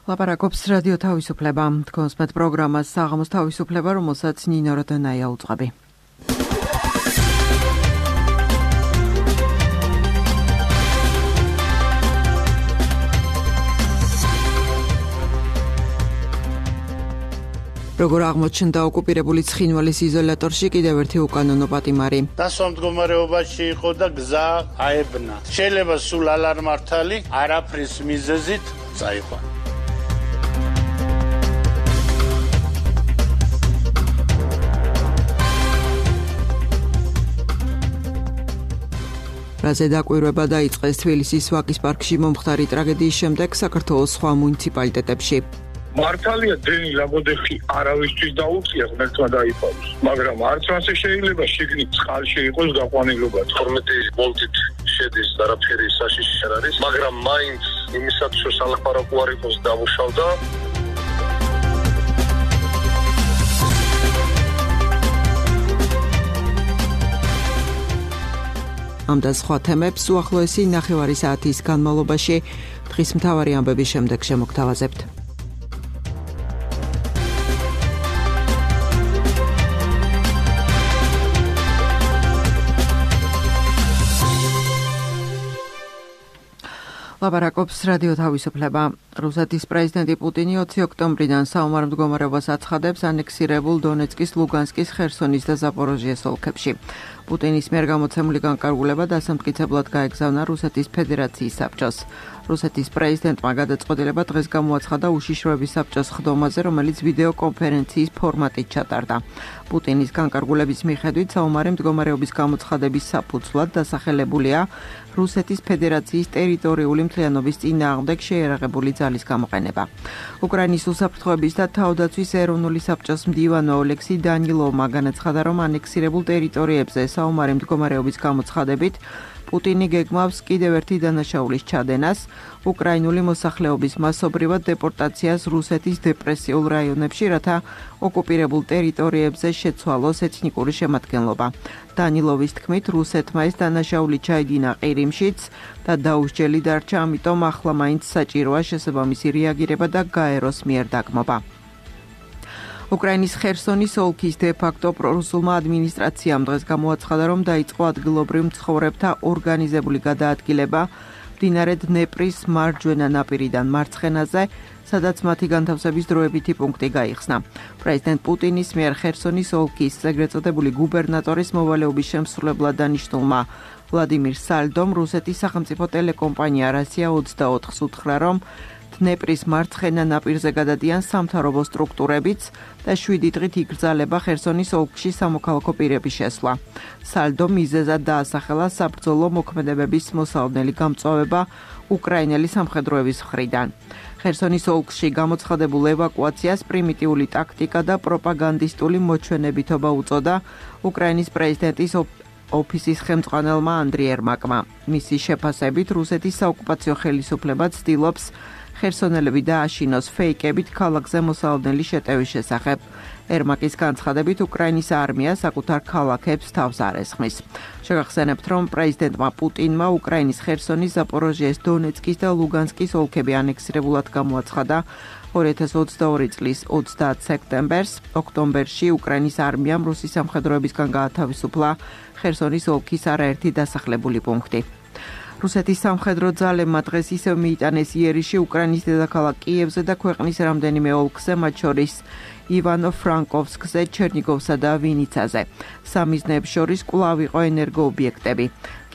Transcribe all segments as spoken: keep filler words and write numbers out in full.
ლაპარაკობს რადიო თავისუფლება. თქვენს მეტ პროგრამას საღამოს თავისუფლება, რომელსაც ნინო როდანაია უძღვები. როგორ აღმოჩნდა ოკუპირებული ცხინვალის იზოლატორში კიდევ ერთი უკანონო პატიმარი. დასვა მდგომარეობაში იყო და გზა აებნა. შეიძლება სულ ალარმართალი არაფრის მიზეზით წაიყვა. რაზე დაკვირვება დაიწყეს თბილისის ვაკის პარკში მომხდარი ტრაგედიის შემდეგ საქართველოს სხვა მუნიციპალიტეტებში. მართალია დენი ლაგოდეხი არავისთვის დაუწია ღმერთმა დაიფაროს, მაგრამ არც ასე შეიძლება შიგნით წყალში იყოს გაყვანილობა. თორმეტი ვოლტით შედის არაფერი საშიში არ არის, მაგრამ მაინც იმისაც რომ სალაპარაკო არ იყოს დამუშავდა. ამ და სხვა თემებს უახლოესი ნახევარი საათის განმავლობაში დღის მთავარი ამბების შემდეგ შემოგთავაზებთ. ლაპარაკობს რადიო თავისუფლება. რუსეთის პრეზიდენტი პუტინი ოცი ოქტომბრიდან საომარ მდგომარეობას აცხადებს ანექსირებულ დონეცკის, ლუგანსკის, ხერსონის და ზაპოროჟიეს ოლქებში. პუტინის მიერ გამოცემული განკარგულება დასამტკიცებლად გაეგზავნა რუსეთის ფედერაციის საბჭოს. რუსეთის პრეზიდენტმა გადაწყვეტილება დღეს გამოაცხადა უშიშროების საბჭოს ხდომაზე, რომელიც ვიდეო კონფერენციის ფორმატით ჩატარდა. პუტინის განკარგულების მიხედვით საომარი მდგომარეობის გამოცხადების საფუძვლად დასახელებულია რუსეთის ფედერაციის ტერიტორიული მთლიანობის წინააღმდეგ შეიარაღებული ძალის გამოყენება. უკრაინის უსაფრთხოების და თავდაცვის ეროვნული საბჭოს მდივანო ოლექსი დანილოვმა განაცხადა, რომ ანექსირებულ ტერიტორიებზე საომარი მდგომარეობის გამოცხადებით პუტინი გეგმავს კიდევ ერთი დანაშაულის ჩადენას, უკრაინული მოსახლეობის მასობრივად დეპორტაციას რუსეთის დეპრესიულ რაიონებში, რათა ოკუპირებულ ტერიტორიებზე შეცვალოს ეთნიკური შემადგენლობა. დანილოვის თქმით, რუსეთმა ეს დანაშაული ჩაიდინა ყირიმშიც და დაუსჯელი დარჩა, ამიტომ ახლა მაინც საჭიროა შესაბამისი რეაგირება და გაეროს მიერ დაგმობა. უკრაინის ხერსონის ოლქის დე-ფაქტო პრორუსულმა ადმინისტრაციამ დღეს გამოაცხადა, რომ დაიწყო ადგილობრივ მცხოვრებთა ორგანიზებული გადაადგილება მდინარე დნეპრის მარჯვენა ნაპირიდან მარცხენაზე, სადაც მათი განთავსების დროებითი პუნქტი გაიხსნა. პრეზიდენტ პუტინის მიერ ხერსონის ოლქის ეგრეთ წოდებული გუბერნატორის მოვალეობის შემსრულებლად დანიშნულმა ვლადიმირ სალდომ რუსეთის სახელმწიფო ტელეკომპანია რასია ოცდაოთხს უთხრა, რომ დნეპრის მარცხენა ნაპირზე გადადიან სამთავრობო სტრუქტურებიც და შვიდი დღით იგრძალება ხერსონის ოლქში სამოქალაქო პირების შესვლა. სალდომ მიზეზად დაასახელა საბრძოლო მოქმედებების მოსალოდნელი გამწვავება უკრაინელი სამხედროების მხრიდან. ხერსონის ოლქში გამოცხადებულ ევაკუაციას პრიმიტიული ტაქტიკა და პროპაგანდისტული მოჩვენებითობა უწოდა უკრაინის პრეზიდენტის ოფისის ხელმძღვანელმა ანდრი ერმაკმა. მისი შეფასებით რუსეთის საოკუპაციო ხელისუფლება ცდილობს ხერსონელები დააშინოს ფეიკებით ქალაქზე მოსალოდნელი შეტევის შესახებ. ერმაკის განცხადებით უკრაინის არმია საკუთარ ქალაქებს თავს არ ესხმის. შეგახსენებთ, რომ პრეზიდენტმა პუტინმა უკრაინის ხერსონის, ზაპოროჟიეს, დონეცკის და ლუგანსკის ოლქები ანექსირებულად გამოაცხადა ორი ათას ოცდაორი წლის ოცდაათ სექტემბერს. ოქტომბერში უკრაინის არმიამ რუსის სამხედროებისგან გაათავისუფლა ხერსონის ოლქის არაერთი დასახლებული პუნქტი. რუსეთის სამხედრო ძალებმა დღეს ისევ მიიტანეს იერიში უკრაინის დედაქალაქ კიევზე და ქვეყნის რამდენიმე ოლქზე, მათ შორის ივანო-ფრანკოვსკზე, ჩერნიგოვსა და ვინიცაზე. სამიზნეებს შორის კვლავ იყო ენერგოობიექტები.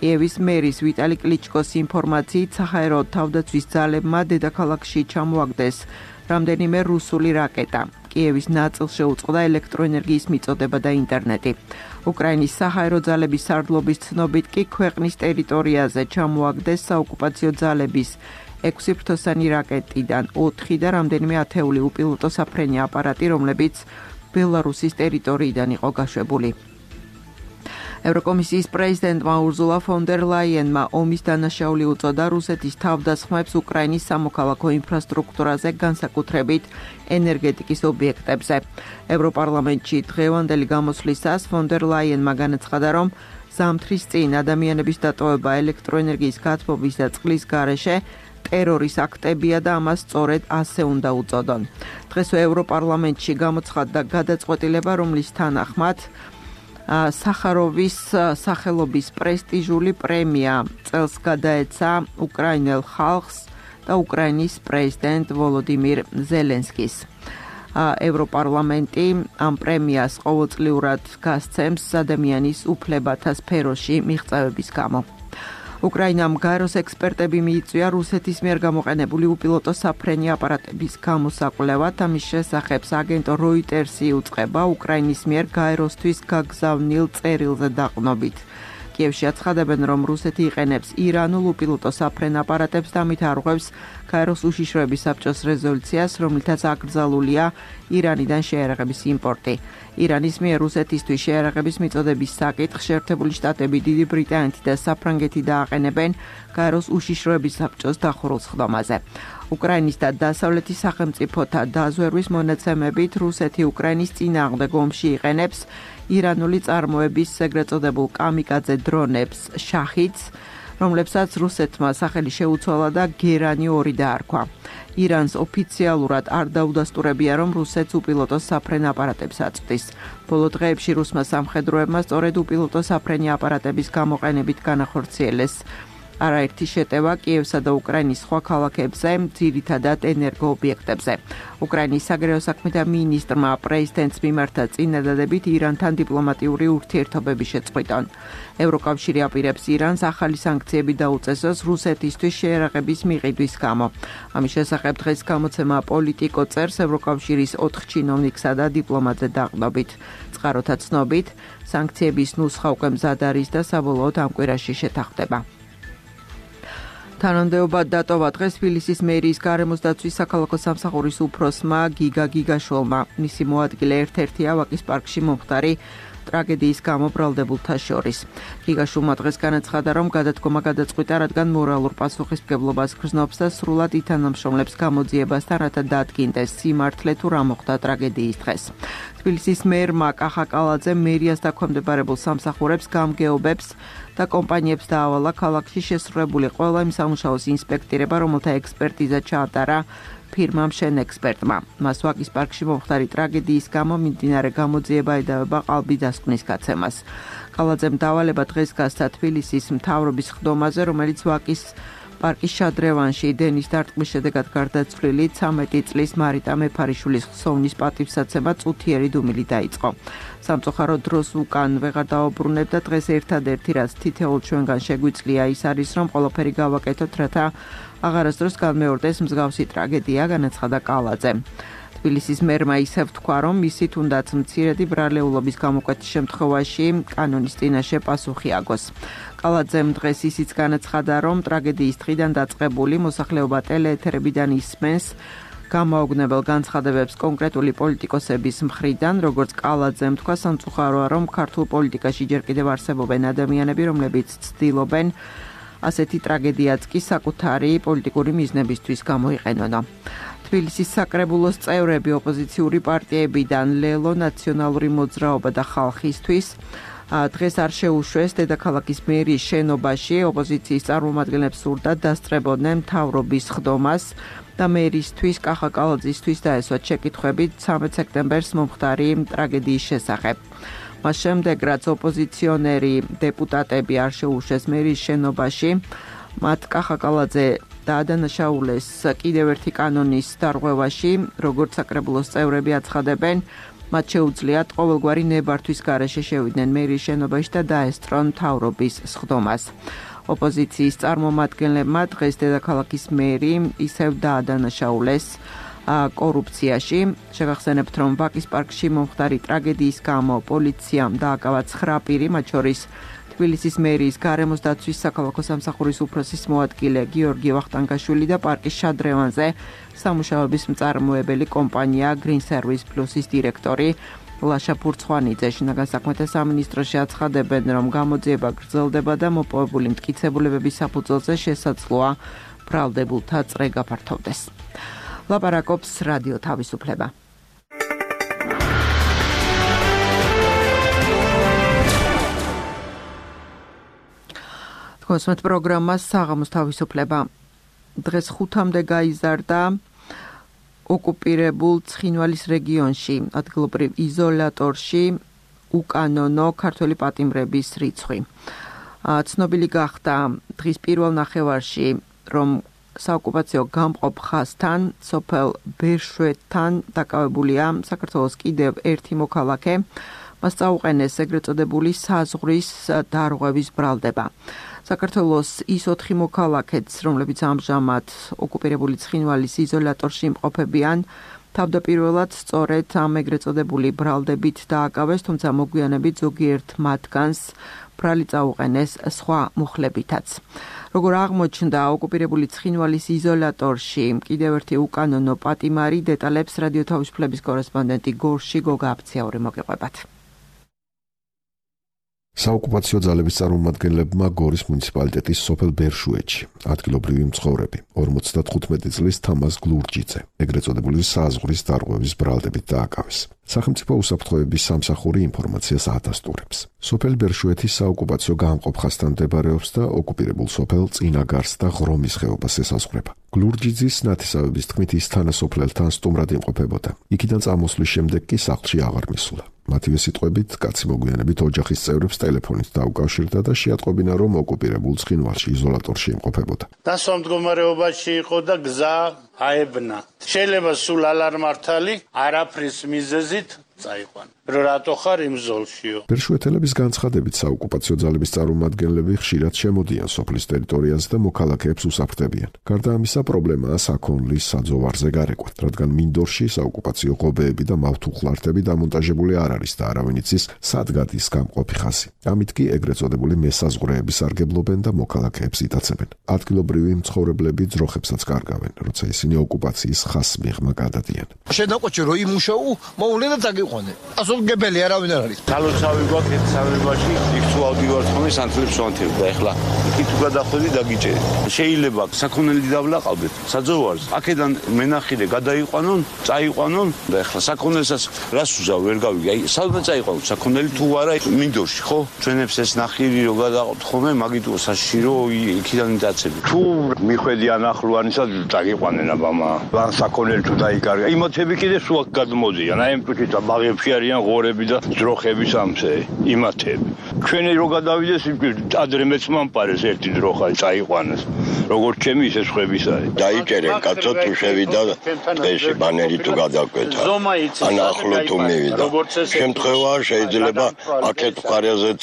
კიევის მერის ვიტალი კლიჩკოს ინფორმაციით საჰაერო თავდაცვის ძალებმა დედაქალაქში ჩამოაგდეს რამდენიმე რუსული რაკეტა. კიევის ნაწილს შეუწყდა ელექტროენერგიის მიწოდება და ინტერნეტი. უკრაინის საჰაერო ძალების სარდლობის ცნობით კი ქვეყნის ტერიტორიაზე ჩამოაგდეს საოკუპაციო ძალების ექვსი ფრთოსანი რაკეტიდან ოთხი და რამდენიმე ათეული უპილოტო საფრენი აპარატი, რომლებიც ბელარუსის ტერიტორიიდან იყო გაშვებული. ევროკომისიის პრეზიდენტმა ურზულა ფონ დერ ლაიენმა ომის დანაშაული უწოდა რუსეთის თავდასხმებს უკრაინის სამოქალაქო ინფრასტრუქტურაზე, განსაკუთრებით ენერგეტიკის ობიექტებზე. ევროპარლამენტში დღევანდელი გამოსვლისას ფონ დერ ლაიენმა განაცხადა, რომ ზამთრის წინ ადამიანების დატოვება ელექტროენერგიის გათბობის და წყლის გარეშე ტერორის აქტებია და ამას სწორედ ასე უნდა უწოდონ. დღესვე ევროპარლამენტში გამოცხადდა გადაწყვეტილება, რომლის თანახმად სახაროვის სახელობის პრესტიჟული პრემია წელს გადაეცა უკრაინელ ხალხს და უკრაინის პრეზიდენტ ვოლოდიმირ ზელენსკის. ევროპარლამენტი ამ პრემიას ყოველწლიურად გასცემს ადამიანის უფლებათა სფეროში მიღწევების გამო. უკრაინამ გაეროს ექსპერტები მიიწვია რუსეთის მიერ გამოყენებული უპილოტო საფრენი აპარატების გამოსაკვლევად. ამის შესახებ აგენტო როიტერსი იუწყება უკრაინის მიერ გაეროსთვის გაგზავნილ წერილზე დაყრდნობით. კიევში აცხადებენ, რომ რუსეთი იყენებს ირანულ უპილოტო საფრენ აპარატებს და ამით არღვევს გაეროს უშიშროების საბჭოს რეზოლუციას, რომლითაც აკრძალულია ირანიდან შეიარაღების იმპორტი. ირანის მიერ რუსეთისთვის შეიარაღების მიწოდების საკითხს შეერთებული შტატები, დიდი ბრიტანეთი და საფრანგეთი დააყენებენ გაეროს უშიშროების საბჭოს დახურულ სხდომაზე. უკრაინის და დასავლეთის სახელმწიფოთა დაზვერვის მონაცემებით რუსეთი უკრაინის წინააღმდეგ ომში იყენებს ირანული წარმოების ეგრეთ წოდებულ კამიკაძე დრონებს შაჰიდს, რომლებსაც რუსეთმა სახელი შეუცვალა და გერანი ორი დაარქვა. ირანს ოფიციალურად არ დაუდასტურებია, რომ რუსეთს უპილოტო საფრენ აპარატებს აწვდის. ბოლო დღეებში რუსმა სამხედროებმა სწორედ უპილოტო საფრენი აპარატების გამოყენებით განახორციელეს არაერთი შეტევა კიევსა და უკრაინის სხვა ქალაქებზე, ძირითადად ენერგოობიექტებზე. უკრაინის საგარეო საქმეთა მინისტრმა პრეზიდენტს მიმართა წინადადებით ირანთან დიპლომატიური ურთიერთობების შეწყვეტონ. ევროკავშირი აპირებს ირანს ახალი სანქციები დაუწესოს რუსეთისთვის შეიარაღების მიყიდვის გამო. ამის შესახებ დღეს გამოცემა პოლიტიკო წერს ევროკავშირის ოთხ ჩინოვნიკსა და დიპლომატზე დაყრდნობით. წყაროთა ცნობით, სანქციების ნუსხა უკვე მზად არის და საბოლოოდ ამ კვირაში შეთანხმდება. თანამდებობა დატოვა დღეს თბილისის მერიის გარემოს დაცვის საქალაქო სამსახურის უფროსმა გიგა გიგაშვილმა. მისი მოადგილე ერთ-ერთია ვაკის პარკში მომხდარი ტრაგედიის გამო ბრალდებულთა შორის. გიგაშვილმა დღეს განაცხადა, რომ გადადგომა გადაწყვიტა, რადგან მორალურ პასუხისმგებლობას გრძნობს და სრულად ითანამშრომლებს გამოძიებასთან, რათა დაადგინდეს სიმართლე თუ რა მოხდა ტრაგედიის დღეს. თბილისის მერმა კახა კალაძემ მერიას დაქვემდებარებულ სამსახურებს, გამგეობებს და კომპანიებს დაავალა ქალაქში შესრულებული ყველა იმ სამუშაოს ინსპექტირება, რომელთა ექსპერტიზა ჩაატარა ფირმამ შენ ექსპერტმა. მას ვაკის პარკში მომხდარი ტრაგედიის გამო მიმდინარე გამოძიება ედავება ყალბი დასკვნის გაცემას. კალაძემ დავალება დღეს გასცა თბილისის მთავრობის ხდომაზე, რომელიც ვაკის პარკის შადრევანში დენის დარტყმის შედეგად გარდაცვლილი ცამეტი წლის მარიტა მეფარიშვილის ხსოვნის პატივსაცემა წუთიერი დუმილი დაიწყო. სამწუხაროდ დროს უკან ვეღარ დაუბრუნებდა დღეს ერთადერთი რაც თითოეულ ჩვენგან შეგვიძლია ის არის, რომ ყველაფერი გავაკეთოთ, რათა აღარასდროს განმეორდეს მსგავსი ტრაგედია, განაცხადა კალაძე. თბილისის მერმა ისევ თქვა, რომ მისი თუნდაც მცირედი ბრალეულობის გამოკვეთის შემთხვევაში კანონის წინაშე პასუხი აგოს. კალაძემ დღეს ისიც განაცხადა, რომ ტრაგედიის დღიდან დაწყებული მოსახლეობა ტელეეთერებიდან ისმენს გამაოგნებელ განცხადებებს კონკრეტული პოლიტიკოსების მხრიდან, როგორც კალაძემ თქვა, სამწუხაროა, რომ ქართულ პოლიტიკაში ჯერ კიდევ არსებობენ ადამიანები, რომლებიც ცდილობენ ასეთი ტრაგედიაც კი საკუთარი პოლიტიკური მიზნებისთვის გამოიყენონ. თბილისის საკრებულოს წევრები ოპოზიციური პარტიებიდან ლელო, ნაციონალური მოძრაობა და ხალხისთვის დღეს არ შეუშვეს დედაქალაქის მერიის შენობაში ოპოზიციის წარმომადგენლებს სურდათ დასწრებოდნენ მთავრობის ხდომას და მერისთვის კახა კალაძისთვის დაესვათ შეკითხვები ცამეტ სექტემბერს მომხდარი ტრაგედიის შესახებ. მას შემდეგ, რაც ოპოზიციონერი დეპუტატები არ შეუშვეს მერიის შენობაში, მათ კახა კალაძე დაადანაშაულეს კიდევ ერთი კანონის დარღვევაში, როგორც საკრებულოს წევრები აცხადებენ, მათ შეუძლიათ ყოველგვარი ნებართვის გარეშე შევიდნენ მერიის შენობაში და დაესწრონ მთავრობის სხდომას. ოპოზიციის წარმომადგენლებმა დღეს დედაქალაქის მერი ისევ დაადანაშაულეს კორუფციაში. შეგახსენებთ, რომ ვაკის პარკში მომხდარი ტრაგედიის გამო პოლიციამ დააკავა ცხრა პირი, მათ შორის თბილისის მერიის გარემოს დაცვის საქალაქო სამსახურის უფროსის მოადგილე გიორგი ვახტანგაშვილი და პარკის შადრევანზე სამუშაოების მწარმოებელი კომპანია Green Service Plus-ის დირექტორი ლაშა ფურცხვანიძე. შინაგან საქმეთა სამინისტროში აცხადებენ, რომ გამოძიება გრძელდება და მოპოვებული მტკიცებულებების საფუძველზე შესაძლოა ბრალდებულთა წრე გაფართოვდეს. ლაპარაკობს რადიო თავისუფლება. კონსუმენტ პროგრამა საღამოს თავისუფლება. დღეს ხუთამდე გაიზარდა ოკუპირებულ ცხინვალის რეგიონში, ადგილობრივ იზოლატორში უკანონო ქართველი პატიმრების რიცხვი. ცნობილი გახდა დღის პირველ ნახევარში, რომ საოკუპაციო გამყოფ ხაზთან, სოფელ ბერშვეთთან დაკავებულია საქართველოს კიდევ ერთი მოქალაქე, მას წაუყენეს ეგრეთ წოდებული საზღვრის დარღვევის ბრალდება. საქართველოს ის ოთხი მოქალაქეც, რომლებიც ამჟამად ოკუპირებული ცხინვალის იზოლატორში იმყოფებიან, თავდაპირველად სწორედ ამ ეგრეთ წოდებული ბრალდებით დააკავეს, თუმცა მოგვიანებით ზოგიერთ მათგანს ბრალი წაუყენეს სხვა მუხლებითაც. Როგორ აღმოჩნდა ოკუპირებული ცხინვალის იზოლატორში კიდევ ერთი უკანონო პატიმარი, დეტალებს რადიო თავისუფლების კორესპონდენტი გორში გოგა აფციური მოგეყვებათ. საოკუპაციო ძალების წარმომადგენლებმა გორის მუნიციპალიტეტის სოფელ ბერშვეთში ადგილობრივი მცხოვრები ორმოცდათხუთმეტი წლის თამაზ გლურჯიძე ეგრეთ წოდებული საზღვრის დარღვევის ბრალდებით დააკავეს. სახელმწიფო უსაფრთხოების სამსახური ინფორმაციას ადასტურებს. სოფელ ბერშვეთის საოკუპაციო გამყოფ ხაზთან მდებარეობს და ოკუპირებულ სოფელ წინაგარს და ღრომის ხეობას ესაზღვრება. გლურჯიძის ნათესავების თქმით, ის თანასოფლელთან სტუმრად იმყოფებოდა. იქიდან წამოსვლის შემდეგ კი სახლში აღარ მისულა. მათივე სიტყვებით, კაცი მოგვიანებით ოჯახის წევრებს ტელეფონით დაუკავშირდა და შეატყობინა, რომ ოკუპირებულ ცხინვალში იზოლატორში იმყოფებოდა. დასვა მდგომარეობაში იყო და გზა აებნა. შეიძლება სულ ალარმართალი არაფრის მიზეზით წაიყვანა. რომ რატო ხარ იმ ზოლშიო? ბერშვეთელების განცხადებით, საოკუპაციო ძალების წარმომადგენლები ხშირად შემოდიან სოფლის ტერიტორიაზე და მოქალაქეებს უსაფრთხებიან. გარდა ამისა, პრობლემაა საქონლის საძოვარზე გარეკვა, რადგან მინდორში საოკუპაციო ღობეები და მავთუხლართები დამონტაჟებული არ არის და არავინ იცის, სად გადის გამყოფი ხაზი. ამით კი ეგრეთ წოდებული მესაზღვრეები სარგებლობენ და მოქალაქეებს იტაცებენ. ადგილობრივი მცხოვრებლები ძროხებსაც კარგავენ, როცა ისინი ოკუპაციის ხაზს მიღმა გადადიან. შედაყვეჩი რო იმუშაო, მოულე და დაგიყვანე. გებელი არავინ არ არის. თალოცავი გვაქვს ერთ სამებაში, იქ თუ ავდივარ ხომი სანთლებს ვანთებ და ეხლა იქ თუ გადახვედი დაგიჭერეთ. შეიძლება საქონელი დავლაყავდეთ საძოვარს. აქედან მენახილე გადაიყვანონ, წაიყვანონ და ეხლა საქონელსაც რას უზავ ვერ გავიგე. აი, სადღაც წაიყვანონ საქონელი თუ არა მინდორში, ხო? ჩვენებს ეს ნახირი რო გადაყავთ ხომე, მაგით საშირო იქიდან დაწები. თუ მიხვედი ანახლოვანისა დაგიყვანენ აბამა. ან საქონელი თუ დაიკარგა. იმათები კიდე სულ გადმოდიან. აი, ამ თვითონ ბაღებში არიან ღორები და ძროხები სამსე იმათები. ჩვენი რო გადავიდეს ადრე მეც მომპარეს ერთი ძროხა წაიყვანეს. როგორც ჩემი ისე სხვების არის. დაიჭერენ კაცო თუ შევიდა დღეში ბანერი თუ გადაკვეთა. ან ახლო თუ მივიდა. შემთხვევაა შეიძლება აქეთ მხარეაზეც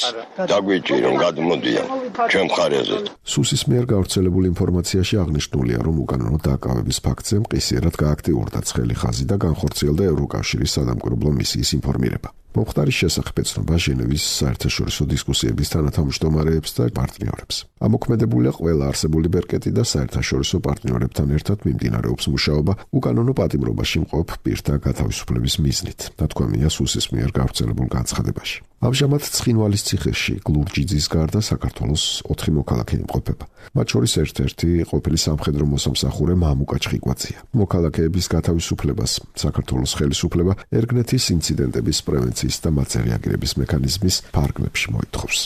დაგვიჭირონ გადმოდიან ჩვენ მხარეაზეც. სუსის მიერ გავრცელებული ინფორმაციაში აღნიშნულია, რომ უკანონო დააკავების ფაქტზე მყისიერად გააქტიურდა ცხელი ხაზი და განხორციელდა ევროკავშირის სადამკვირვებლო მისიის ინფორმირება. მომხდარის შესახებ ეცნობა ჟენევის საერთაშორისო დისკუსიების თანათავმჯდომარეებს და პარტნიორებს. ამოქმედებულია ყველა არსებული ბერკეტი და საერთაშორისო პარტნიორებთან ერთად მიმდინარეობს მუშაობა უკანონო პატიმრობაში მყოფ პირთა გათავისუფლების მიზნით, ნათქვამია სუსის მიერ გავრცელებულ განცხადებაში. ამჟამად ცხინვალის ციხეში გლურჯიძის გარდა საქართველოს ოთხი მოქალაქე იმყოფება. მათ შორის ერთ-ერთი ყოფილი სამხედრო მოსამსახურე მამუკა ჩხიკვაძია. მოქალაქეების გათავისუფლებას საქართველოს ხელისუფლება ერგნეთის ინციდენტების პრევენციის და მათზე რეაგირების მექანიზმის ფარგლებში მოითხოვს.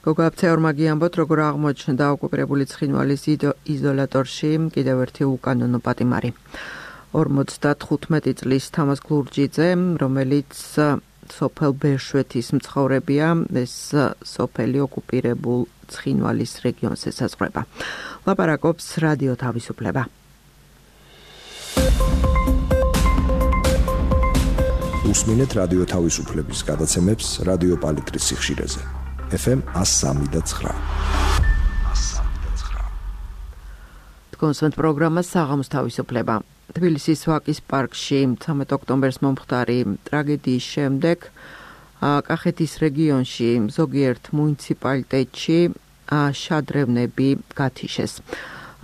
გოგა აფცეორმა გიამბოთ, როგორ აღმოჩნდა ოკუპირებული ცხინვალის იზოლატორში კიდევ ერთი უკანონო პატიმარი. ორმოცდათხუთმეტი წლის თამაზ გლურჯიძე, რომელიც სოფელ ბერშვეთის მცხოვრებია, ეს სოფელი ოკუპირებულ ცხინვალის რეგიონს ესაზღვრება. ლაპარაკობს რადიო თავისუფლება. უსმინეთ რადიო თავისუფლების გადაცემებს რადიო პალიტრის სიხშირეზე. ეფ ემ one oh three point nine. კონსვენტ პროგრამა საღამოს თავისუფლება. თბილისის ვაკის პარკში მცამეტ ოქტომბერს მომხდარი ტრაგედიის შემდეგ კახეთის რეგიონში ზოგიერთ მუნიციპალიტეტში შადრევნები გათიშეს.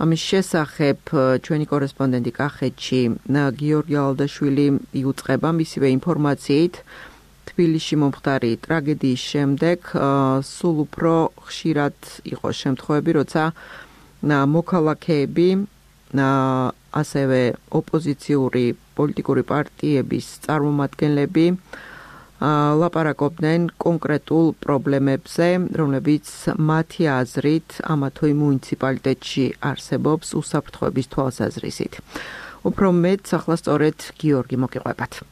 ამის შესახებ ჩვენი კორესპონდენტი კახეთში გიორგი ალდაშვილი იუწყება მისივე ინფორმაციით. თბილისში მომხდარი ტრაგედიის შემდეგ სულ უფრო ხშირად იყო შემთხვევები, როცა მოქალაქეები ასევე ოპოზიციური პოლიტიკური პარტიების წარმომადგენლები ლაპარაკობდნენ კონკრეტულ პრობლემებზე, რომლებიც მათი აზრით ამა თუ იმ მუნიციპალიტეტში არსებობს უსაფრთხოების თვალსაზრისით. უფრო მეტ ახლა სწორედ გიორგი მოგიყვებათ.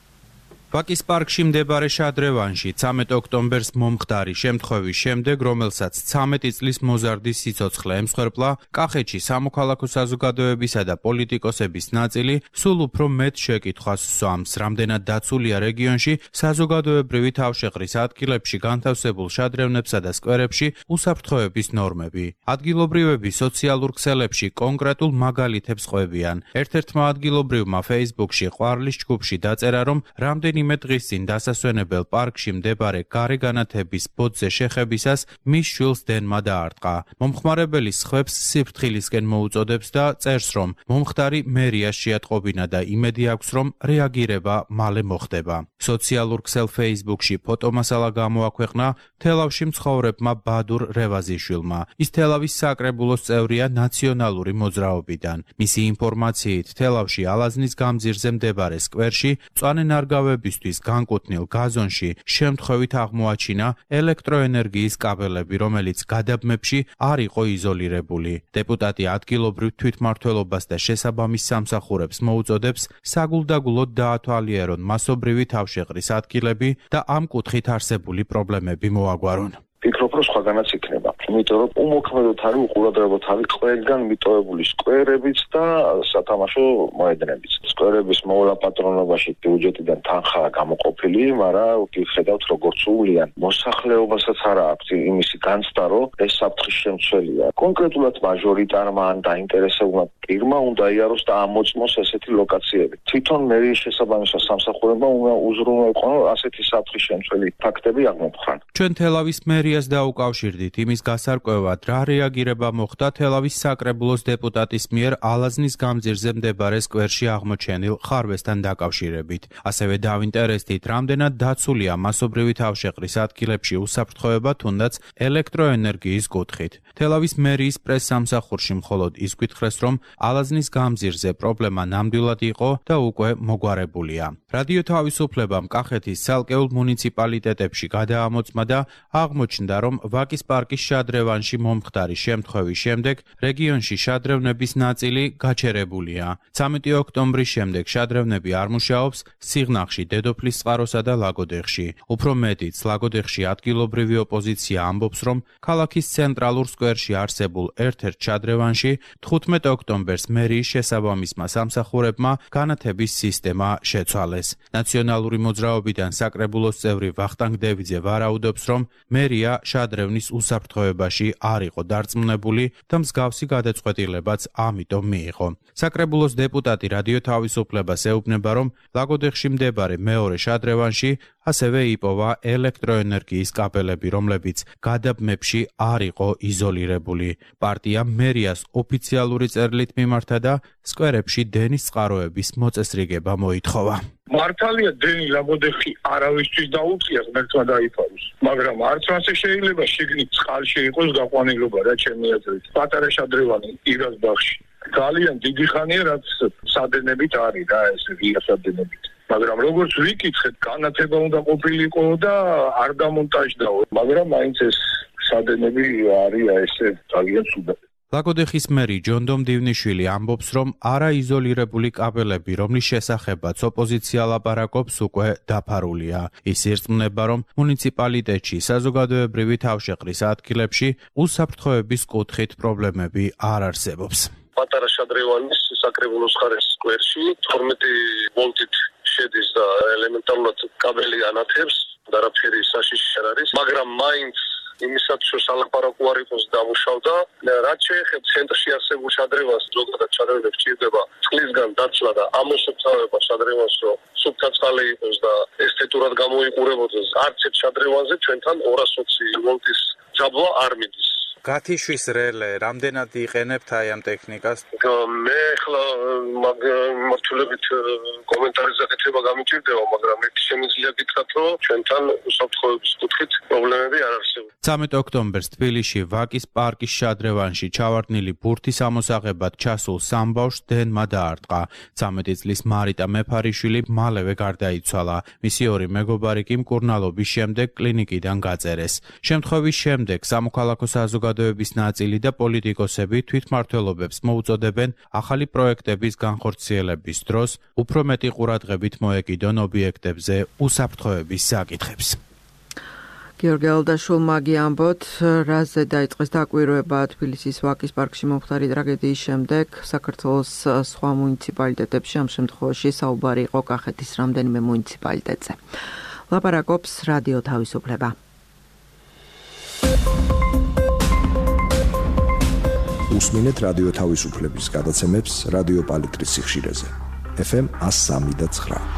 ვაკის პარკში მდებარე შადრევანში ცამეტ ოქტომბერს მომხდარი შემთხვევის შემდეგ, რომელსაც ცამეტი წლის მოზარდის სიცოცხლე ემსხვერპლა, კახეთში სამოქალაქო საზოგადოებისა და პოლიტიკოსების ნაწილი სულ უფრო მეტ შეკითხვას სვამს, რამდენად დაცულია რეგიონში საზოგადოებრივი თავშეყრის ადგილებში განთავსებულ შადრევნებსა და სკვერებში უსაფრთხოების ნორმები. ადგილობრივები სოციალურ ქსელებში კონკრეტულ მაგალითებს ყვებიან. ერთ-ერთმა ადგილობრივმა Facebook-ში ყვარლის ჯგუფში დაწერა, რომ რამდენი იმე დღის წინ დასასვენებელ პარკში მდებარე გარეგანათების ბოძზე შეხებისას მის შვილს დენმა დაარტყა. მომხმარებელი სხვებს სიფრთხილისკენ მოუწოდებს და წერს, რომ მომხდარი მერიას შეატყობინა და იმედი აქვს, რომ რეაგირება მალე მოხდება. სოციალურ ქსელ Facebook-ში ფოტომასალა გამოაქვეყნა თელავში მცხოვრებმა ბადურ რევაზიშვილმა. ის თელავის საკრებულოს წევრია ნაციონალური მოძრაობიდან. მისი ინფორმაციით, თელავში ალაზნის გამზირზე მდებარე სკვერში მწვანე ნარგავები განკუთვნილ გაზონში შემთხვევით აღმოაჩინა ელექტროენერგიის კაბელები, რომელიც გადაბმებში არ იყო იზოლირებული. დეპუტატი ადგილობრივ თვითმმართველობას და შესაბამის სამსახურებს მოუწოდებს საგულდაგულოდ დაათვალიერონ მასობრივი თავშეყრის ადგილები და ამ კუთხით არსებული პრობლემები მოაგვარონ. ფიქრობ, რომ სხვაგანაც იქნება. იმიტომ რომ უმოქმედოდ არის უყურადღებოდ არის ყველგან მიტოვებული სკვერებიც და სათამაშო მოედნებიც. სკვერების მოვლა პატრონობაში ბიუჯეტიდან თანხაა გამოყოფილი, მაგრამ ვხედავთ როგორც სულიან მოსახლეობასაც არა აქვს იმისი განცდა, რომ ეს საფრთხის შემცველია. კონკრეტულად მაჟორიტარმა ან დაინტერესებულმა პირმა უნდა იაროს და ამოწმოს ესეთი ლოკაციები. თვითონ მერიის შესაბამისად სამსახურებმა უნდა უზრუნველყონ, რომ ასეთი საფრთხის შემცველი ფაქტები აღმოფხვრან. ჩვენ თელავის მერიას დაუკავშირდით იმის გასარკვევად, რა რეაგირება მოხდა თელავის საკრებულოს დეპუტატის მიერ ალაზნის გამზირზე მდებარე სკვერში აღმოჩენილ ხარვესთან დაკავშირებით. ასევე დავინტერესდით, რამდენად დაცულია მასობრივი თავშეყრის ადგილებში უსაფრთხოება, თუნდაც ელექტროენერგიის კუთხით. თელავის მერიის პრესსამსახურში მხოლოდ ის გვითხრეს, რომ ალაზნის გამზირზე პრობლემა ნამდვილად იყო და უკვე მოგვარებულია. რადიო თავისუფლებამ კახეთის ცალკეულ მუნიციპალიტეტებში გადაამოწმა და აღმოჩნდა, რომ ვაკის პარკის შადრევანში მომხდარი შემთხვევის შემდეგ რეგიონში შადრევნების ნაწილი გაჩერებულია. ცამეტი ოქტომბრის შემდეგ შადრევნები არ მუშაობს სიღნაღში, დედოფლის წყაროსა და ლაგოდეხში. უფრო მეტიც, ლაგოდეხში ადგილობრივი ოპოზიცია ამბობს, რომ ქალაქის ცენტრალურ სკვერში არსებულ ერთ-ერთ შადრევანში თხუთმეტ ოქტომბერს მერიის შესაბამისმა სამსახურებმა განათების სისტემა შეცვალეს. ნაციონალური მოძრაობიდან საკრებულოს წევრი ვახტანგ დევიძე ვარაუდობს, რომ მერია შადრევნის უსაფრთხოებაში არ იყო დარწმუნებული და მსგავსი გადაწყვეტილებაც ამიტომ მიიღო. საკრებულოს დეპუტატი რადიო თავისუფლებას ეუბნება, რომ ლაგოდეხში მდებარე მეორე შადრევანში ასევე იპოვა ელექტროენერგიის კაბელები, რომლებიც გადაბმებში არ იყო იზოლირებული. პარტია მერიას ოფიციალური წერილით მიმართა და სკვერებში დენის წყაროების მოწესრიგება მოითხოვა. მართალია დენი ლაგოდეხი არავისთვის დაუწიას, მერცმა დაიფაროს. მაგრამ არც ასე შეიძლება შიგნით წყალში იყოს გაყვანილობა, რა ჩემი აზრით. პატარა შადრევანი ირას ბაღში. ძალიან დიდი ხანია, რაც სადენებით არის რა ეს ღია სადენებით. მაგრამ როგორც ვიკითხეთ, განათება უნდა ყოფილიყო და არ დამონტაჟდაო. მაგრამ მაინც ეს სადენები არის ესე ძალიან ცუდად. ლაგოდეხის მერი ჯონდომ დივნიშვილი ამბობს, რომ არაიზოლირებული კაბელები, რომლის შესახებაც ოპოზიცია ლაპარაკობს, უკვე დაფარულია. ის ირწმუნება, რომ მუნიციპალიტეტში საზოგადოებრივი თავშეყრის ადგილებში უსაფრთხოების კუთხით პრობლემები არ არსებობს. პატარა შადრევანის საკრებულოს მხარეს სკვერში თორმეტი ვოლტით შედის და ელემენტარულად კაბელი ანათებს, არაფერი საშიში არ არის, მაგრამ მაინც იმისაც რომ სალაპარაკო არ იყოს დამუშავდა. რაც შეეხება ცენტრში არსებულ შადრევანს, ზოგადად შადრევნებს ჭირდება წყლისგან დაცლა და ამოსუფთავება შადრევანს, რომ სუფთა წყალი იყოს და ესთეტურად გამოიყურებოდეს. არც ერთ შადრევანზე ჩვენთან ორას ოცი ვოლტის ჯაბვა არ მიდის. გათიშვის რელე, რამდენად იყენებთ აი ამ ტექნიკას? მე ახლა მაგ მართულებით კომენტარის გაკეთება გამიჭირდება, მაგრამ ერთი შემიძლია გითხრათ, რომ ჩვენთან უსაფრთხოების კუთხით პრობლემები არ არსებობს. ცამეტ ოქტომბერს თბილისში ვაკის პარკის შადრევანში ჩავარდნილი ბურთის ამოსაღებად ჩასულ სამბავშვს დენმა დაარტყა. ცამეტი წლის მარიტა მეფარიშვილი მალევე გარდაიცვალა. მისი ორი მეგობარი კი მკურნალობის შემდეგ კლინიკიდან გაწერეს. შემთხვევის შემდეგ სამოქალაქო საზოგადოების ნაწილი და პოლიტიკოსები თვითმმართველობებს მოუწოდებენ ახალი პროექტების განხორციელების დროს უფრო მეტი ყურადღებით მოეკიდონ ობიექტებზე უსაფრთხოების საკითხებს. გიორგი ალდაშულმა გიამბოთ, რაზე დაიწყეს დაკვირვება თბილისის ვაკის პარკში მომხდარი ტრაგედიის შემდეგ საქართველოს სხვა მუნიციპალიტეტებში, ამ შემთხვევაში საუბარი იყო კახეთის რამდენიმე მუნიციპალიტეტზე. ლაპარაკობს რადიო თავისუფლება. უსმინეთ რადიო თავისუფლების გადაცემებს რადიო პალიტრის სიხშირეზე. ეფ ემ one oh three point nine.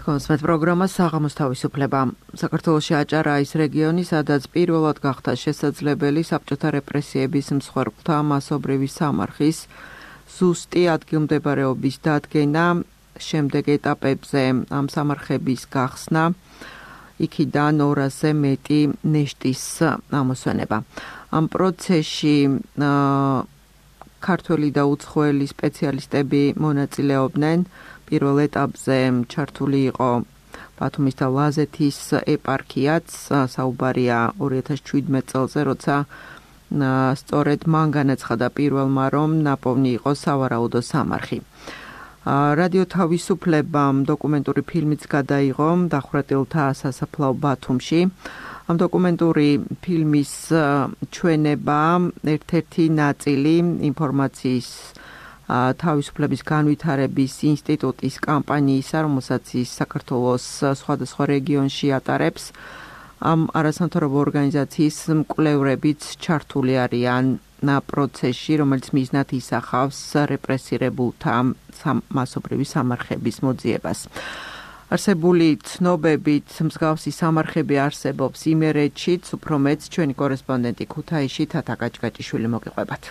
კონსმეთ პროგრამა საღამოს თავისუფლება. საქართველოში აჭარა ის რეგიონი, სადაც პირველად გახდა შესაძლებელი საბჭოთა რეპრესიების მსხვერპლთა მასობრივი სამარხის ზუსტი ადგილმდებარეობის დადგენა, შემდეგ ეტაპებზე ამ სამარხების გახსნა, იქიდან ორასზე მეტი ნეშტის ამოსვენება. ამ პროცესში ქართველი და უცხოელი სპეციალისტები მონაწილეობდნენ. პირველ ეტაპზე ჩართული იყო ბათუმის და ლაზეთის ეპარქიაც, საუბარია ორი ათას შვიდმეტ წელზე, როცა სწორედ მან განაცხადა პირველმა, რომ ნაპოვნი იყო სავარაუდო სამარხი. რადიო თავისუფლებამ დოკუმენტური ფილმიც გადაიღო დახვრეტილთა სასაფლაო ბათუმში. ამ დოკუმენტური ფილმის ჩვენება ერთ-ერთი ნაწილი ინფორმაციის თავისუფლების განვითარების ინსტიტუტის კამპანიისა, რომელსაც ის საქართველოს სხვადასხვა რეგიონში ატარებს. ამ არასამთავრობო ორგანიზაციის მკვლევრებიც ჩართული არიან პროცესში, რომელიც მიზნად ისახავს რეპრესირებულთა მასობრივი სამარხების მოძიებას. არსებული ცნობებით მსგავსი სამარხები არსებობს იმერეთშიც, უფრო მეც ჩვენი კორესპონდენტი ქუთაისში თათა გაჭგაჭიშვილი მოგიყვებათ.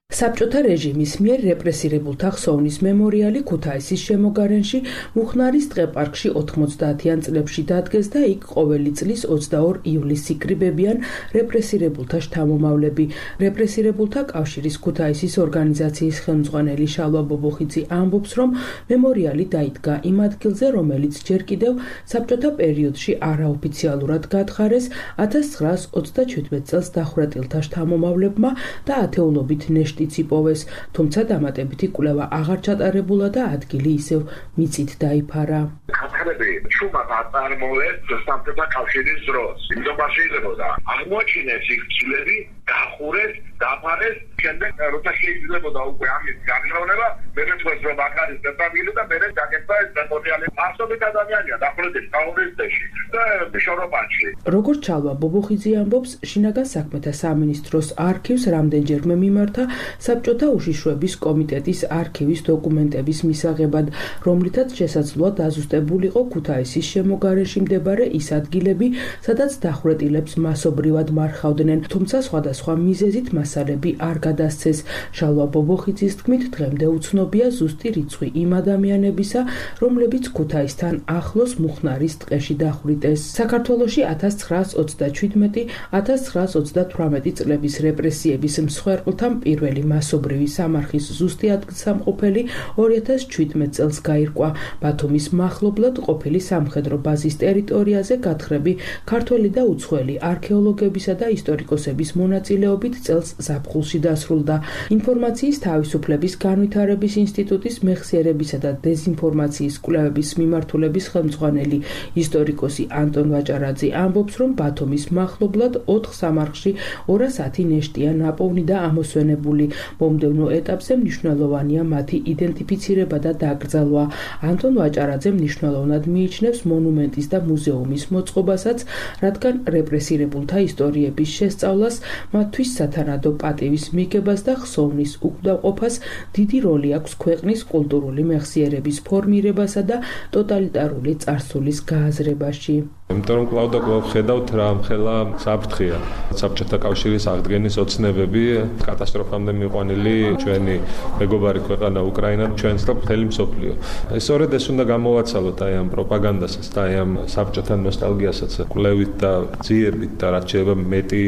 საბჭოთა რეჟიმის მიერ რეპრესირებულთა ხსოვნის მემორიალი ქუთაისის შემოგარენში მუხნარის ტყეპარკში ოთხმოცდაათიან წლებში დადგეს და იქ ყოველი წლის ოცდაორ ივლისს იკრიბებიან რეპრესირებულთა შთამომავლები. რეპრესირებულთა კავშირის ქუთაისის ორგანიზაციის ხელმძღვანელი შალვა ბობოხიძე ამბობს, რომ მემორიალი დაიდგა იმ ადგილზე, რომელიც ჯერ კიდევ საბჭოთა პერიოდში არაოფიციალურად გათხარეს ათას ცხრაას ოცდაჩვიდმეტ წელს დახვრეტილთა შთამომავლებმა და ათეულობით ნეშტი იციპოვეს, თუმცა დამატებითი კვლევა აღარ ჩატარებულა და ადგილი ისევ მიწით დაიფარა. ქართველები შუმად აწარმოებს საბჭოთა კავშირის დროს. იმდობა შეიძლებოდა აღმოჩინეს იქ ცილები, გახურეს, დაფარეს, შემდეგ როცა შეიძლებოდა უკვე ამის განხილვნება, მერე თქოს რომ აქ არის დეტაბილი და მერე დაგეცდა ეს მემორიალი. ასობით ადამიანია დახვრეტილი კაუნისტეში და შოროპანში. როგორც ჩალვა ბობოხიძე ამბობს, შინაგან საქმეთა სამინისტროს არქივს რამდენჯერმე მიმართა საბჭოთა უშიშროების კომიტეტის არქივის დოკუმენტების მისაღებად, რომლითაც შესაძლოა დაზუსტებულიყო ქუთაისის შემოგარენში მდებარე ის ადგილები, სადაც დახვრეტილებს მასობრივად მარხავდნენ, თუმცა სხვადასხვა მიზეზით მასალები არ გადასცეს. შალვა ბობოხიძის თქმით, დღემდე უცნობია ზუსტი რიცხვი იმ ადამიანებისა, რომლებიც ქუთაისთან ახლოს მუხნარის ტყეში დახვრიტეს. საქართველოში ათას ცხრაას ოცდაჩვიდმეტი ათას ცხრაას ოცდათვრამეტი წლების რეპრესიების მსხვერპლთა პირველი მასობრივი სამარხის ზუსტი ადგილსამყოფელი ორი ათას შვიდმეტ წელს გაირკვა. ბათუმის მახლობლად ყოფილი სამხედრო ბაზის ტერიტორიაზე გათხრები ქართველი და უცხოელი არქეოლოგებისა და ისტორიკოსების მონაწილეობით წელს ზაფხულში დასრულდა. ინფორმაციის თავისუფლების განვითარების ინსტიტუტის მეხსიერებისა და დეზინფორმაციის კვლევების მიმართულების ხელმძღვანელი ისტორიკოსი ანტონ ვაჭარაძე ამბობს, რომ ბათუმის მახლობლად ოთხ სამარხში ორას ათი ნეშტია ნაპოვნი და ამოსვენებული. მომდევნო ეტაპზე მნიშვნელოვანია მათი იდენტიფიცირება და დაკრძალვა. ანტონ ვაჭარაძე მნიშვნელოვნად მიიჩნევს მონუმენტის და მუზეუმის მოწყობასაც, რადგან რეპრესირებულთა ისტორიების შესწავლას, მათთვის სათანადო პატივის მიღებას და ხსოვნის უკმაყოფას დიდი როლი აქვს ქვეყნის კულტურული მეხსიერების ფორმირებასა და ტოტალიტარული წარსულის გააზრებაში. იმიტომ რომ კлау და კлау ხედავთ რა მხელა საფრთხეა. საბჭოთა კავშირის აღდგენის ოცნებები კატასტროფამდე მიყვანილი ჩვენი მეგობარი ქვეყანა უკრაინა ჩვენს და მთელი მსოფლიო. სწორედ ეს უნდა გამოვაცალოთ აი ამ პროპაგანდასაც და აი ამ საბჭოთა ნოსტალგიასაც კვლევით და ძიებით და რაც შეიძლება მეტი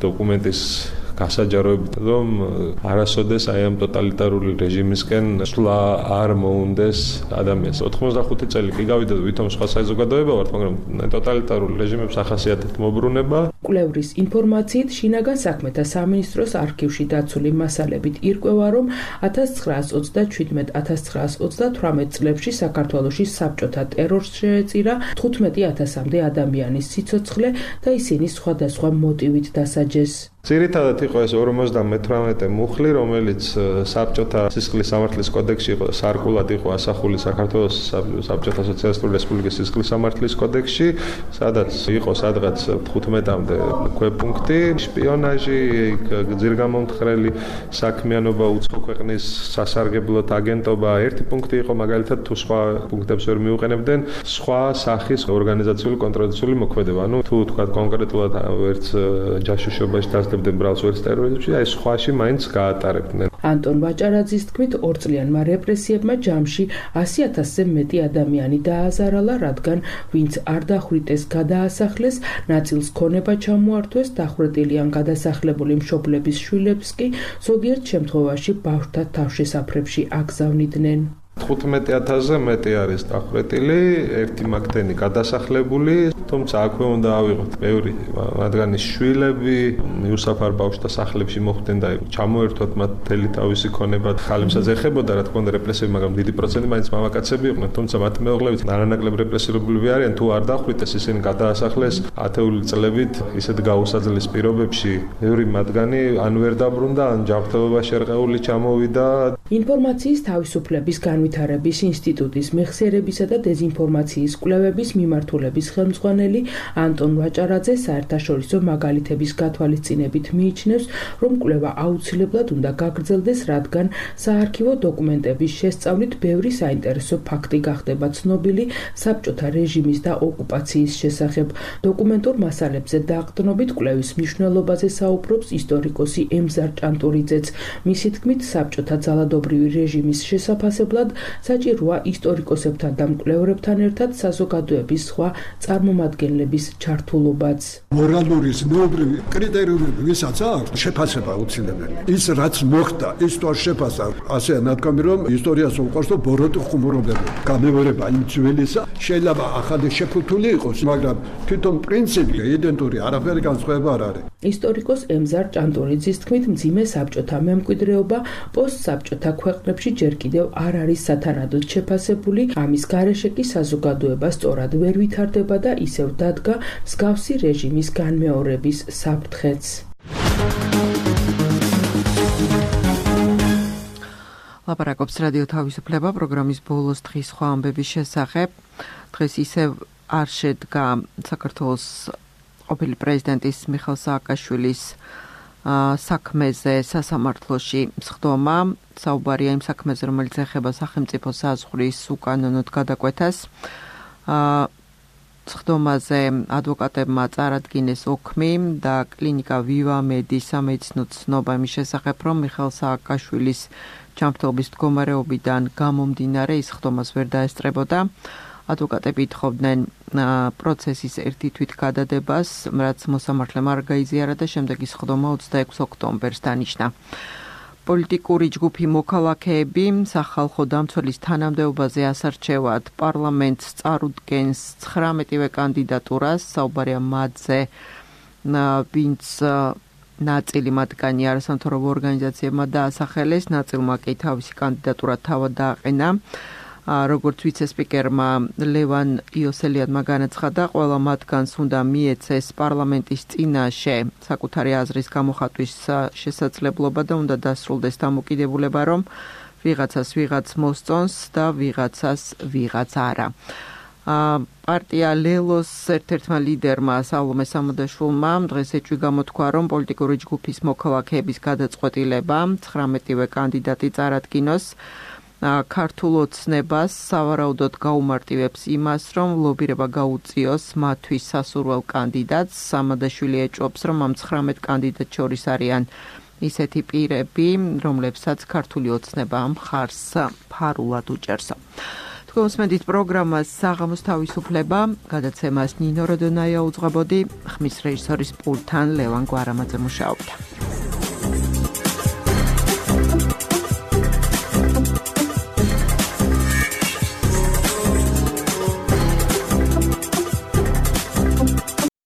დოკუმენტის გასაჯაროებით, რომ არასოდეს აი ამ ტოტალიტარული რეჟიმისკენ სვლა არ მოუნდეს ადამიანს. ოთხმოცდახუთი წელი კი გავიდა ვითომ სხვა საზოგადოება ვართ, მაგრამ ტოტალიტარული რეჟიმებს ახასიათებთ მობრუნება. კვლევრის ინფორმაციით შინაგან საქმეთა სამინისტროს არქივში დაცული მასალებით ირკვევა, რომ ათას ცხრაას ოცდაჩვიდმეტ - ათას ცხრაას ოცდათვრამეტ წლებში საქართველოში საბჭოთა ტერორს შეეწირა თხუთმეტი ათასამდე ადამიანის სიცოცხლე და ისინი სხვადასხვა მოტივით დასაჯეს. ძირითადად იყო ეს ორმოცდამეთვრამეტე მუხლი, რომელიც საბჭოთა სისხლის სამართლის კოდექსში იყო სარკულად იყო ასახული საქართველოს საბჭოთა სოციალისტური რესპუბლიკის სისხლის სამართლის კოდექსში, სადაც იყო სადღაც თხუთმეტამდე ქვეპუნქტი, შპიონაჟი, ძირგამომთხრელი საქმიანობა, უცხო ქვეყნის სასარგებლოდ აგენტობა. ერთი პუნქტი იყო მაგალითად თუ სხვა პუნქტებს ვერ მიუყენებდნენ, სხვა სახის ორგანიზაციული კონტროლაციული მოქმედება. ანუ თუ თქვა კონკრეტულად ვერც ჯაშუშობაში დასდებდნენ ბრალს ვერც ტერორიზმში, აი სხვაში მაინც გაატარებდნენ. ანტონ ვაჭარაძის თქმით, ორწლიანმა რეპრესიებმა ჯამში ასი ათასზე მეტი ადამიანი დააზარალა, რადგან ვინც არ დახვრიტეს, გადაასახლეს, ნაწილს ქონება ჩამოართვეს, დახვრეტილი ან გადასახლებული მშობლების შვილებს კი ზოგიერთ შემთხვევაში ბავშვთა თავშესაფრებში აგზავნიდნენ. თხუთმეტი ათასზე მეტი არის დახვრეტილი, ერთი მაგდენი გადასახლებული, თუმცა აქვე უნდა ავიღოთ ბევრი მათგანის შვილები, მიუსაფარ ბავშვთა სახლებში მოხვდნენ და ჩამოერთვათ მათ მთელი თავისი ქონება. ხალხსაც ეხებოდა რა თქმა უნდა რეპრესიები, მაგრამ დიდი პროცენტი მაინც მამაკაცები იყვნენ, თუმცა მათ მეუღლებით არანაკლებ რეპრესირებული არიან, თუ არ დახვრიტეს, ისინი გადაასახლეს ათეული წლებით ისეთ გაუსაძლეს პირობებში. ბევრი მათგანი ან ვერ დაბრუნდა, ან ჯანმრთელობაში შერყეული ჩამოვიდა. ინფორმაციის თავისუფლების განვითარების ინსტიტუტის მეხსიერებისა და დეზინფორმაციის კვლევების მიმართულების ხელმძღვანელი ანტონ ვაჭარაძე საერთაშორისო მაგალითების გათვალისწინებით მიიჩნევს, რომ კვლევა აუცილებლად უნდა გაგრძელდეს, რადგან საარქივო დოკუმენტების შესწავლით ბევრი საინტერესო ფაქტი გახდება ცნობილი საბჭოთა რეჟიმის და ოკუპაციის შესახებ. დოკუმენტურ მასალებზე დაყრდნობით კვლევის მნიშვნელობაზე საუბრობს ისტორიკოსი ემზარ ჭანტურიძეც. მისი თქმით, საბჭოთა ძალადობრივი რეჟიმის შესაფასებლად საჭიროა ისტორიკოსებთან და მკვლევრებთან ერთად საზოგადოების სხვა წარმომადგენლების ჩართულობაც. მორალური ზნეობრივი კრიტერიუმები ვისაც აქვს შეფასება აუცილებელი. ის რაც მოხდა, ის თუ არ შეფასდა, ასე ნათქვამი რომ ისტორიას უყვარს და ბოროტი ხუმრობები. გამეორება იმ ძველისა შეიძლება ახალი შეფუთული იყოს, მაგრამ თვითონ პრინციპი იდენტური არაფერი განსხვავება არ არის. ისტორიკოს ემზარ ჭანტურიძის თქმით, მძიმე საბჭოთა მემკვიდრეობა პოსტსაბჭოთა ქვეყნებში ჯერ კიდევ არ არის სათანადოდ შეფასებული, ამის გარეშე კი საზოგადოება სწორად ვერ ვითარდება და ისევ დადგა მსგავსი რეჟიმის განმეორების საფრთხეც. ლაპარაკობს რადიო თავისუფლება პროგრამის ბოლოს დღის სხვა ამბების შესახებ. დღეს ისევ არ შედგა საქართველოს ყოფილი პრეზიდენტის მიხეილ სააკაშვილის საქმეზე სასამართლოში სხდომა. საუბარია იმ საქმეზე, რომელიც ეხება სახელმწიფო საზღვრის უკანონოდ გადაკვეთას. სხდომაზე ადვოკატებმა წარადგინეს ოქმი და კლინიკა ვივა მედის სამედიცინო ცნობა იმის შესახებ, რომ მიხეილ სააკაშვილის ჯანმრთელობის მდგომარეობიდან გამომდინარე ის სხდომას ვერ დაესწრებოდა. ადვოკატები ითხოვდნენ პროცესის ერთი თვით გადადებას, რაც მოსამართლემ არ გაიზიარა და შემდეგ ის სხდომა ოცდაექვსი ოქტომბერს დანიშნა. პოლიტიკური ჯგუფი მოქალაქეები სახალხო დამცველის თანამდებობაზე ასარჩევად პარლამენტს წარუდგენს ცხრამეტივე კანდიდატურას, საუბარია მათზე, ვინც ნაწილი მათგანი არასამთავრობო ორგანიზაციებმა დაასახელეს, ნაწილმა კი თავისი კანდიდატურა თავად დააყენა. როგორც ვიცე-სპიკერმა ლევან იოსელიადმა განაცხადა, ყველა მათგანს უნდა მიეცეს პარლამენტის წინაშე საკუთარი აზრის გამოხატვის შესაძლებლობა და უნდა დასრულდეს დამოკიდებულება, რომ ვიღაცას ვიღაც მოსწონს და ვიღაცას ვიღაც არა. პარტია ლელოს ერთ-ერთმა ლიდერმა სალომე სამოდაშვილმა დღეს ეჭვი გამოთქვა, რომ პოლიტიკური ჯგუფის მოქალაქეების გადაწყვეტილება ცხრამეტივე კანდიდატი წარადგინოს ქართულ ოცნებას სავარაუდოდ გაუმარტივებს იმას, რომ ლობირება გაუწიოს მათთვის სასურველ კანდიდატს. სამადაშვილი ეჭვობს, რომ ამ ცხრამეტ კანდიდატ შორის არიან ისეთი პირები, რომლებსაც ქართული ოცნება მხარს ფარულად უჭერს. თქვენსმენდით პროგრამას საღამოს თავისუფლება, გადაცემას ნინო როდონაია უძღვებოდი, ხმის რეჟისორის პულტთან ლევან გვარამაძე მუშაობდა.